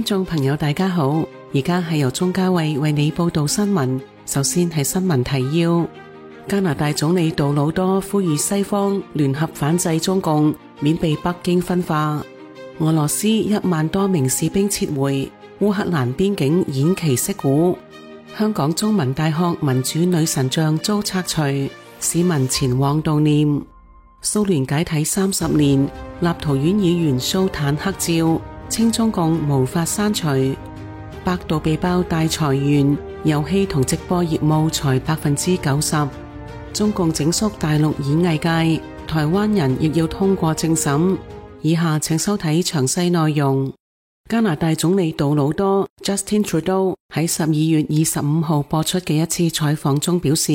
眾朋友大家好，而家係由鍾嘉慧為你報道新聞。首先係新聞提要：加拿大總理杜魯多呼籲西方聯合反制中共，免被北京分化。俄羅斯1萬多名士兵撤回，烏克蘭邊境偃旗息鼓。香港中文大學民主女神像遭拆除，市民前往悼念。蘇聯解體30年，立陶宛議員 show 坦克照，稱中共無法刪除。百度被爆大裁員，遊戲同直播業務裁90%。中共整肅大陸演藝界，台灣人亦要通過政審。以下請收睇詳細內容。加拿大總理杜魯多 Justin Trudeau 喺12月25號播出嘅一次採訪中表示，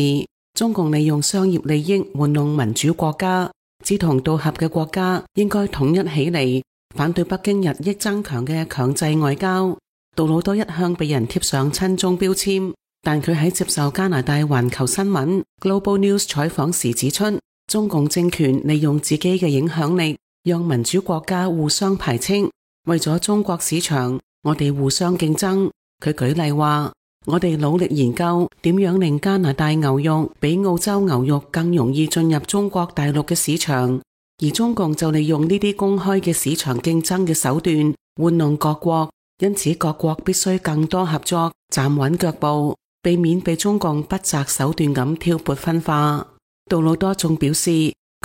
中共利用商業利益玩弄民主國家，志同道合嘅國家應該統一起嚟，反對北京日益增強嘅強制外交。杜魯多一向被人貼上親中標籤，但佢喺接受加拿大環球新聞 Global News 採訪時指出，中共政權利用自己嘅影響力，讓民主國家互相排斥，為咗中國市場，我哋互相競爭。佢舉例話，我哋努力研究點樣令加拿大牛肉比澳洲牛肉更容易進入中國大陸嘅市場，而中共就利用呢啲公開嘅市場競爭嘅手段玩弄各國，因此各國必須更多合作，站穩腳步，避免被中共不擇手段咁挑撥分化。杜魯多仲表示，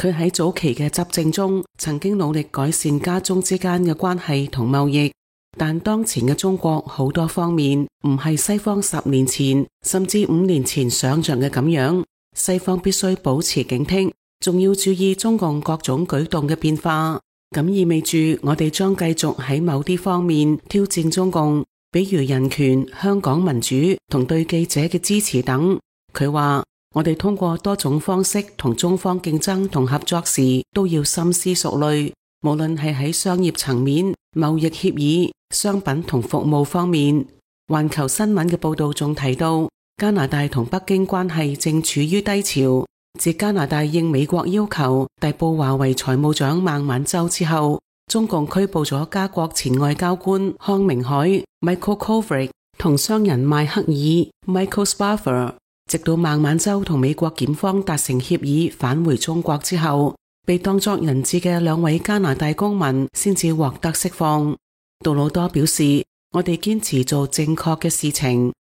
佢喺早期嘅執政中曾經努力改善加中之間嘅關係同貿易，但當前嘅中國好多方面唔係西方10年前甚至5年前想象嘅咁樣，西方必須保持警惕，仲要注意中共各種舉動嘅變化。咁意味住我哋將繼續喺某啲方面挑戰中共，比如人權、香港民主同對記者嘅支持等。佢話，我哋通過多種方式同中方競爭同合作時，都要深思熟慮，無論係喺商業層面、貿易協議、商品同服務方面。環球新聞嘅報道仲提到，加拿大同北京關係正處於低潮。自加拿大應美國要求逮捕華為財務長孟晚舟之後，中共拘捕咗加國前外交官康明凱 Michael Kovrig 同商人邁克爾 Michael Spavor。直到孟晚舟同美國檢方達成協議返回中國之後，被當作人質嘅2位加拿大公民先至獲得釋放。杜魯多表示，我哋堅持做正確嘅事情。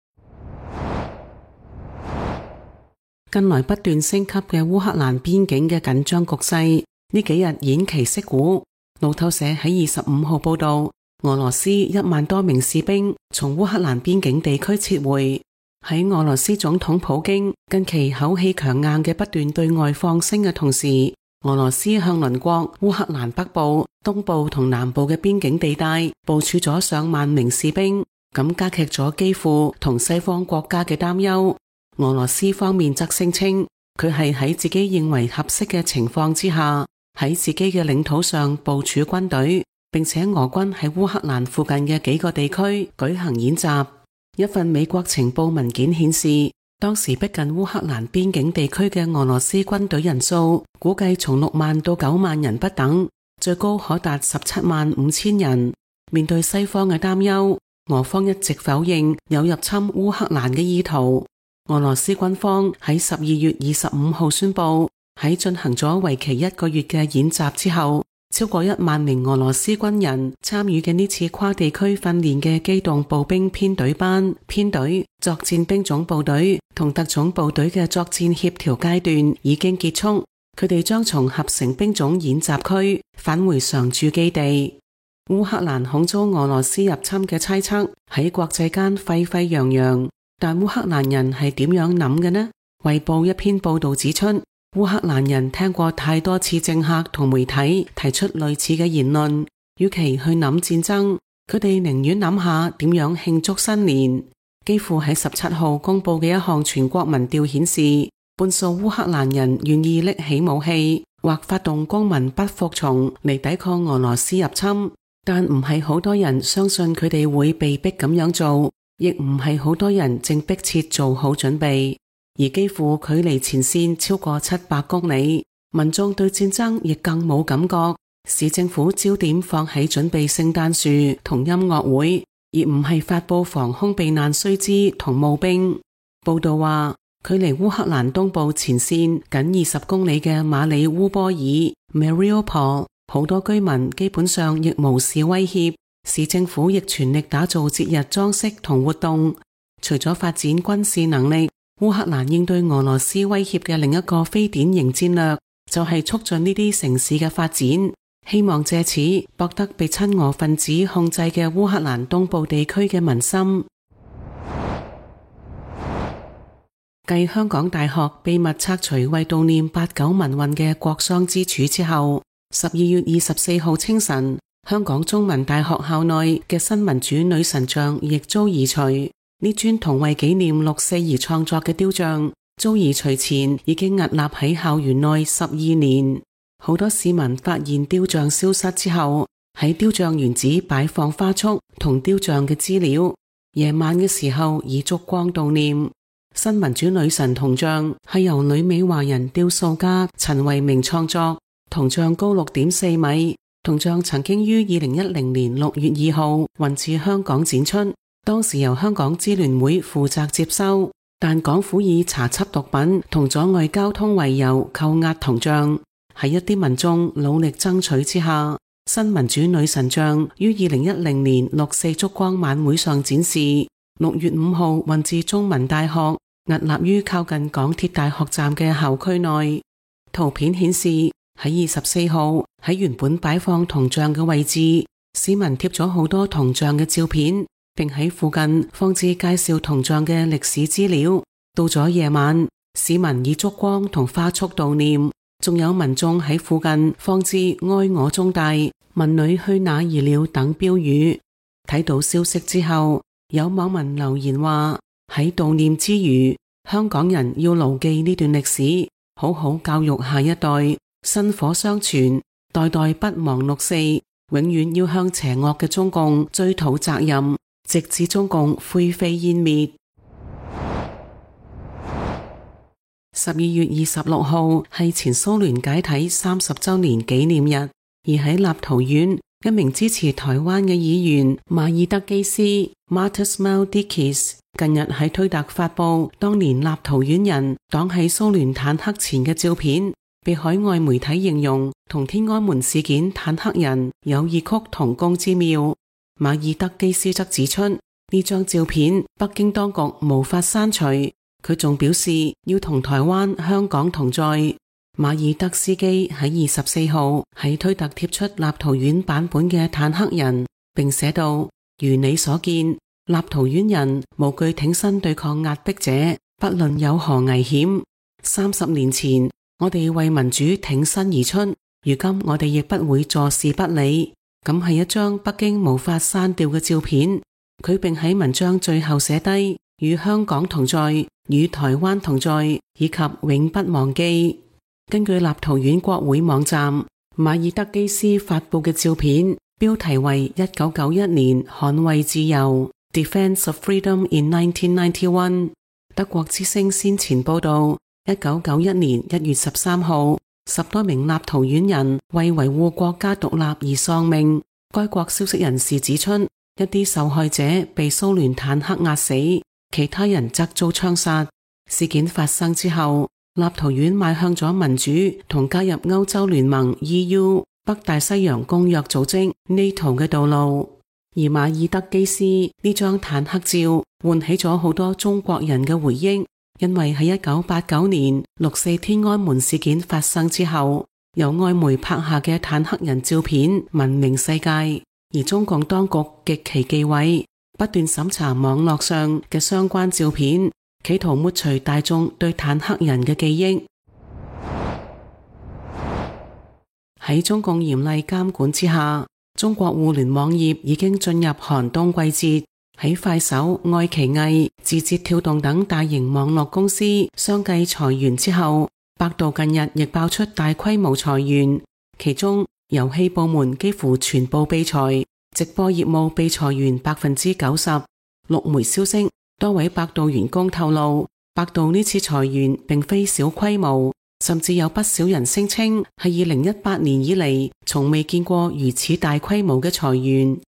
近來不斷升級嘅烏克蘭邊境嘅緊張局勢，呢幾日偃旗息鼓。路透社喺25號報道，俄羅斯1萬多名士兵從烏克蘭邊境地區撤回。喺俄羅斯總統普京近期口氣強硬嘅不斷對外放聲嘅同時，俄羅斯向鄰國烏克蘭北部、東部同南部嘅邊境地帶部署咗上萬名士兵，咁加劇咗基輔同西方國家嘅擔憂。俄羅斯方面則聲稱，佢係喺自己認為合適嘅情況之下，喺自己嘅領土上部署軍隊，並且俄軍喺烏克蘭附近嘅幾個地區舉行演習。一份美國情報文件顯示，當時逼近烏克蘭邊境地區嘅俄羅斯軍隊人數估計從6萬到9萬人不等，最高可達17萬5千人。面對西方嘅擔憂，俄方一直否認有入侵烏克蘭嘅意圖。俄羅斯軍方喺12月25號宣布，喺進行咗為期1個月嘅演習之後，超過1萬名俄羅斯軍人參與嘅呢次跨地區訓練嘅機動步兵編隊班、編隊、作戰兵種部隊同特種部隊嘅作戰協調階段已經結束，佢哋將從合成兵種演習區返回常駐基地。烏克蘭恐遭俄羅斯入侵嘅猜測喺國際間沸沸揚揚，但烏克蘭人係點樣諗嘅呢？衛報一篇報道指出，烏克蘭人聽過太多次政客同媒體提出類似嘅言論，與其去諗戰爭，佢哋寧願諗下點樣慶祝新年。幾乎喺17號公布嘅一項全國民調顯示，半數烏克蘭人願意拎起武器或發動公民不服從嚟抵抗俄羅斯入侵，但唔係好多人相信佢哋會被逼咁樣做，亦唔係好多人正迫切做好準備。而幾乎距離前線超過700公里，民眾對戰爭亦更冇感覺。市政府焦點放喺準備聖誕樹同音樂會，而唔係發佈防空避難須知同募兵。報道話，距離烏克蘭東部前線僅20公里嘅馬里烏波爾 Mariupol， 好多居民基本上亦無視威脅，市政府亦全力打造節日裝飾同活動。除咗發展軍事能力，烏克蘭應對俄羅斯威脅嘅另一個非典型戰略，就係促進呢啲城市嘅發展，希望借此博得被親俄分子控制嘅烏克蘭東部地區嘅民心。繼香港大學秘密拆除為悼念8·9民運嘅國殤之柱之後，12月24號清晨，香港中文大學校內嘅新民主女神像亦遭移除。呢尊同為紀念6·4而創作嘅雕像，遭移除前已經屹立喺校園內12年。好多市民發現雕像消失之後，喺雕像原址擺放花束同雕像嘅資料。夜晚嘅時候以燭光悼念。新民主女神銅像係由女美華人雕塑家陳慧明創作，銅像高6.4米。銅像曾經於2010年6月2號運至香港展出，當時由香港支聯會負責接收，但港府以查緝毒品同阻礙交通為由扣押銅像。喺一啲民眾努力爭取之下，新民主女神像於2010年6·4燭光晚會上展示。6月5號運至中文大學，屹立於靠近港鐵大學站嘅校區內。圖片顯示喺24號喺原本擺放銅像嘅位置，市民貼咗好多銅像嘅照片，並喺附近放置介紹銅像嘅歷史資料。到咗夜晚，市民以燭光同花束悼念，仲有民眾喺附近放置哀我中大、民女去哪兒了等標語。睇到消息之後，有網民留言話，喺悼念之餘，香港人要牢記呢段歷史，好好教育下一代，薪火相傳，代代不忘6·4，永遠要向邪惡嘅中共追討責任，直至中共灰飛煙滅。12月26號係前蘇聯解體30周年紀念日，而喺立陶宛，一名支持台灣嘅議員馬爾德基斯 Martas Maldikis 近日喺推特發布當年立陶宛人擋喺蘇聯坦克前嘅照片，被海外媒體形容同天安門事件坦克人有異曲同工之妙。馬爾德基斯則指出，呢張照片北京當局無法刪除，佢仲表示要同台灣、香港同在。馬爾德斯基喺24號喺推特貼出立陶宛版本嘅坦克人，並寫道：如你所見，立陶宛人無懼挺身對抗壓迫者，不論有何危險。30年前，我哋為民主挺身而出，如今我哋亦不會坐視不理。咁係一張北京無法刪掉嘅照片。佢並喺文章最後寫低：與香港同在，與台灣同在，以及永不忘記。根據立陶宛國會網站，馬爾德基斯發佈嘅照片標題為1991年捍衛自由 Defense of Freedom in 1991。德國之聲先前報道，1991年1月13號10多名立陶宛人為維護國家獨立而喪命。該國消息人士指出，一啲受害者被蘇聯坦克壓死，其他人則遭槍殺。事件發生之後，立陶宛邁向咗民主同加入歐洲聯盟 EU、北大西洋公約組織 NATO 嘅道路。而馬爾德基斯呢張坦克照喚起咗好多中國人嘅回憶，因為喺1989年6·4天安門事件發生之後，由外媒拍下嘅坦克人照片聞名世界，而中共當局極其忌諱，不斷審查網絡上嘅相關照片，企圖抹除大眾對坦克人嘅記憶。喺中共嚴厲監管之下，中國互聯網業已經進入寒冬季節。喺快手、愛奇藝、字節跳動等大型網絡公司相繼裁員之後，百度近日亦爆出大規模裁員，其中遊戲部門幾乎全部被裁，直播業務被裁員 90%。陸媒消息，多位百度員工透露，百度呢次裁員並非小規模，甚至有不少人聲稱係2018年以嚟從未見過如此大規模嘅裁員。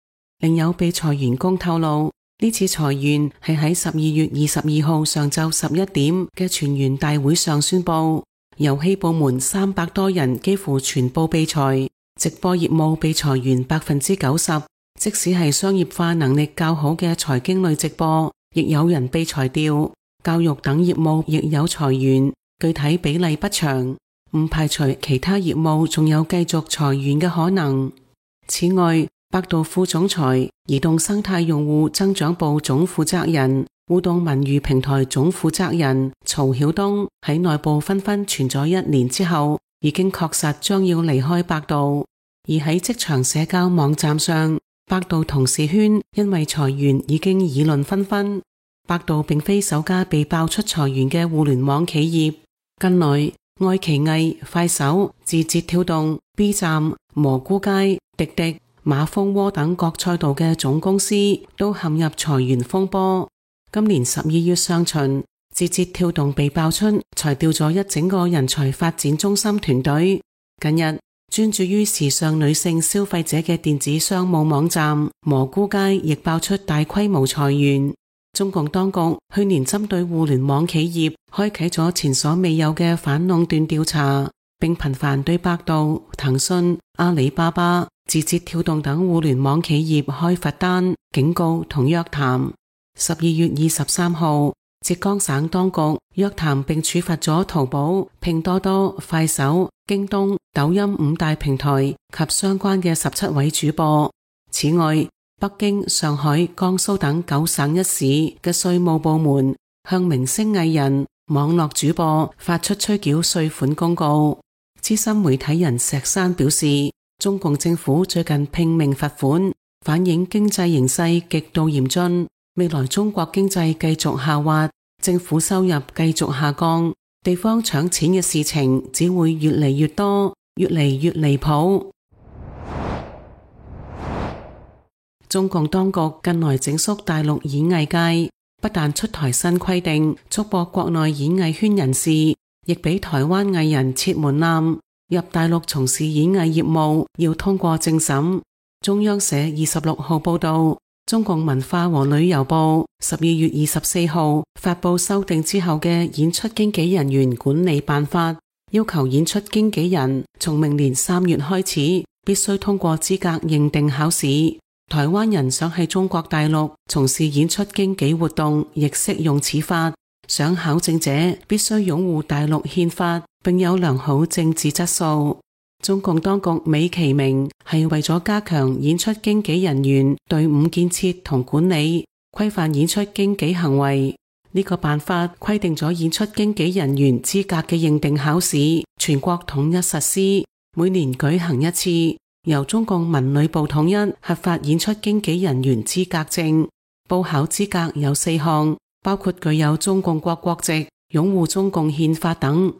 另有被裁員工透露，呢次裁員係喺12月22號上晝11點嘅全員大會上宣布，遊戲部門300多人幾乎全部被裁，直播業務被裁員 90%， 即使係商業化能力較好嘅財經類直播，亦有人被裁掉，教育等業務亦有裁員，具體比例不詳，唔排除其他業務仲有繼續裁員嘅可能。此外，百度副總裁、移動生態用戶增長部總負責人、互動文娛平台總負責人曹曉東喺內部紛紛傳咗1年之後，已經確實將要離開百度。而喺職場社交網站上，百度同事圈因為裁員已經議論紛紛。百度並非首家被爆出裁員嘅互聯網企業，近來愛奇藝、快手、字節跳動、B 站、蘑菇街、滴滴、馬蜂窩等各賽道嘅總公司都陷入裁員風波。今年12月上旬，字節跳動被爆出裁掉咗一整個人才發展中心團隊。近日，專注於時尚女性消費者嘅電子商務網站蘑菇街亦爆出大規模裁員。中共當局去年針對互聯網企業開啟咗前所未有嘅反壟斷調查，並頻繁對百度、騰訊、阿里巴巴、字節跳動等互聯網企業開罰單、警告同約談。12月23號，浙江省當局約談並處罰咗淘寶、拼多多、快手、京東、抖音5大平台及相關嘅17位主播。此外，北京、上海、江蘇等9省1市嘅稅務部門向明星藝人、網絡主播發出催繳稅款公告。資深媒體人石山表示，中共政府最近拼命罰款，反映經濟形勢極度嚴峻，未來中國經濟繼續下滑，政府收入繼續下降，地方搶錢嘅事情只會越嚟越多，越嚟越離譜。中共當局近來整肅大陸演藝界，不但出台新規定束縛國內演藝圈人士，亦俾台灣藝人設門檻，入大陸從事演藝業務要通過政審。中央社26號報道，中共文化和旅遊部12月24號發佈修訂之後嘅演出經紀人員管理辦法，要求演出經紀人從明年3月開始必須通過資格認定考試。台灣人想喺中國大陸從事演出經紀活動，亦適用此法。想考證者必須擁護大陸憲法，並有良好政治質素。中共當局美其名係為咗加強演出經紀人員隊伍建設同管理，規範演出經紀行為。呢個辦法規定咗演出經紀人員資格嘅認定考試，全國統一實施，每年舉行一次。由中共文旅部統一核發演出經紀人員資格證，報考資格有4項，包括具有中共國國籍、擁護中共憲法等。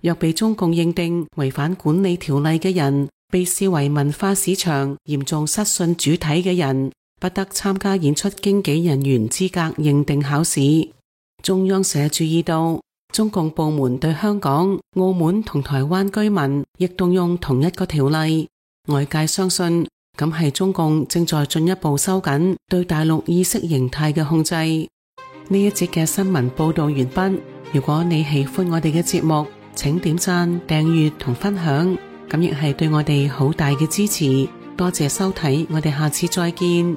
若被中共認定違反管理條例嘅人，被視為文化市場嚴重失信主體嘅人，不得參加演出經紀人員資格認定考試。中央社注意到，中共部門對香港、澳門同台灣居民亦動用同一個條例。外界相信，咁係中共正在進一步收緊對大陸意識形態嘅控制。呢一節嘅新聞報道完畢。如果你喜歡我哋嘅節目，請點讚、訂閱同分享，咁亦係對我哋好大嘅支持。多謝收睇，我哋下次再見。